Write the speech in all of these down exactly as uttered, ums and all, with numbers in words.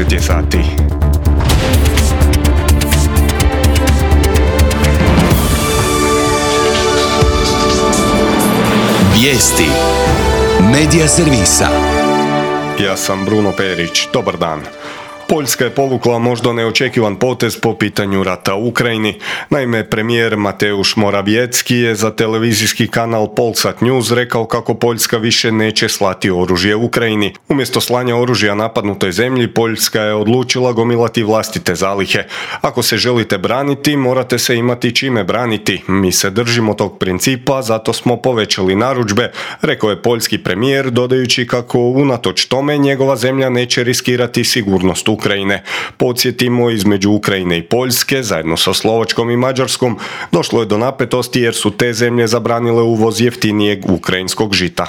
dvadeset je sati. Vijesti Medija servisa. Ja sam Bruno Perić. Dobar dan. Poljska je povukla možda neočekivan potez po pitanju rata u Ukrajini. Naime, premijer Mateusz Morawiecki je za televizijski kanal Polsat News rekao kako Poljska više neće slati oružje u Ukrajini. Umjesto slanja oružja napadnutoj zemlji, Poljska je odlučila gomilati vlastite zalihe. Ako se želite braniti, morate se imati čime braniti. Mi se držimo tog principa, zato smo povećali narudžbe, rekao je poljski premijer, dodajući kako unatoč tome njegova zemlja neće riskirati sigurnost Ukrajine. Podsjetimo, između Ukrajine i Poljske, zajedno sa Slovačkom i Mađarskom, došlo je do napetosti jer su te zemlje zabranile uvoz jeftinijeg ukrajinskog žita.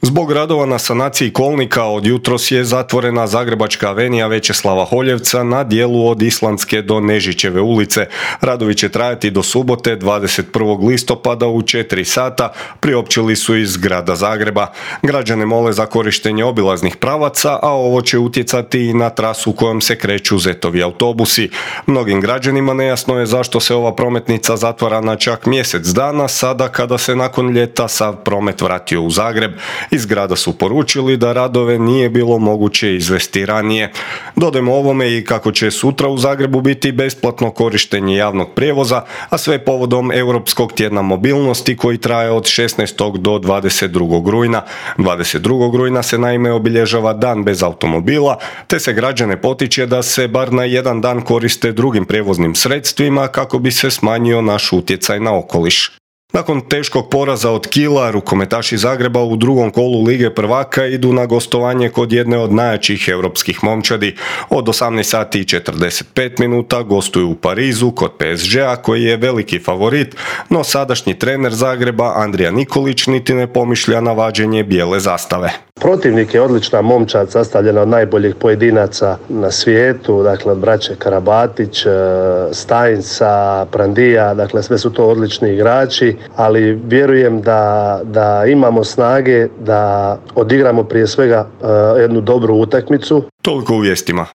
Zbog radova na sanaciji kolnika od jutros je zatvorena Zagrebačka avenija Večeslava Holjevca na dijelu od Islandske do Nežićeve ulice. Radovi će trajati do subote dvadeset prvog listopada u četiri sata, priopćili su iz grada Zagreba. Građane mole za korištenje obilaznih pravaca, a ovo će utjecati i na trasu kojom se kreću Zetovi autobusi. Mnogim građanima nejasno je zašto se ova prometnica zatvara na čak mjesec dana, sada kada se nakon ljeta sav promet vratio u Zagreb. Iz grada su poručili da radove nije bilo moguće izvesti ranije. Dodajmo ovome i kako će sutra u Zagrebu biti besplatno korištenje javnog prijevoza, a sve povodom Europskog tjedna mobilnosti koji traje od šesnaestog do dvadeset drugog rujna. dvadeset drugog rujna se naime obilježava dan bez automobila, te se građane potiče da se bar na jedan dan koriste drugim prijevoznim sredstvima kako bi se smanjio naš utjecaj na okoliš. Nakon teškog poraza od Kila, rukometaši Zagreba u drugom kolu Lige prvaka idu na gostovanje kod jedne od najjačih europskih momčadi. Od osamnaest sati i četrdeset pet minuta gostuju u Parizu kod P S G-a koji je veliki favorit, no sadašnji trener Zagreba Andrija Nikolić niti ne pomišlja na vađenje bijele zastave. Protivnik je odlična momčad sastavljena od najboljih pojedinaca na svijetu, dakle od braće Karabatić, Stajnsa, Prandija, dakle sve su to odlični igrači, ali vjerujem da, da imamo snage da odigramo prije svega jednu dobru utakmicu. Toliko u vijestima.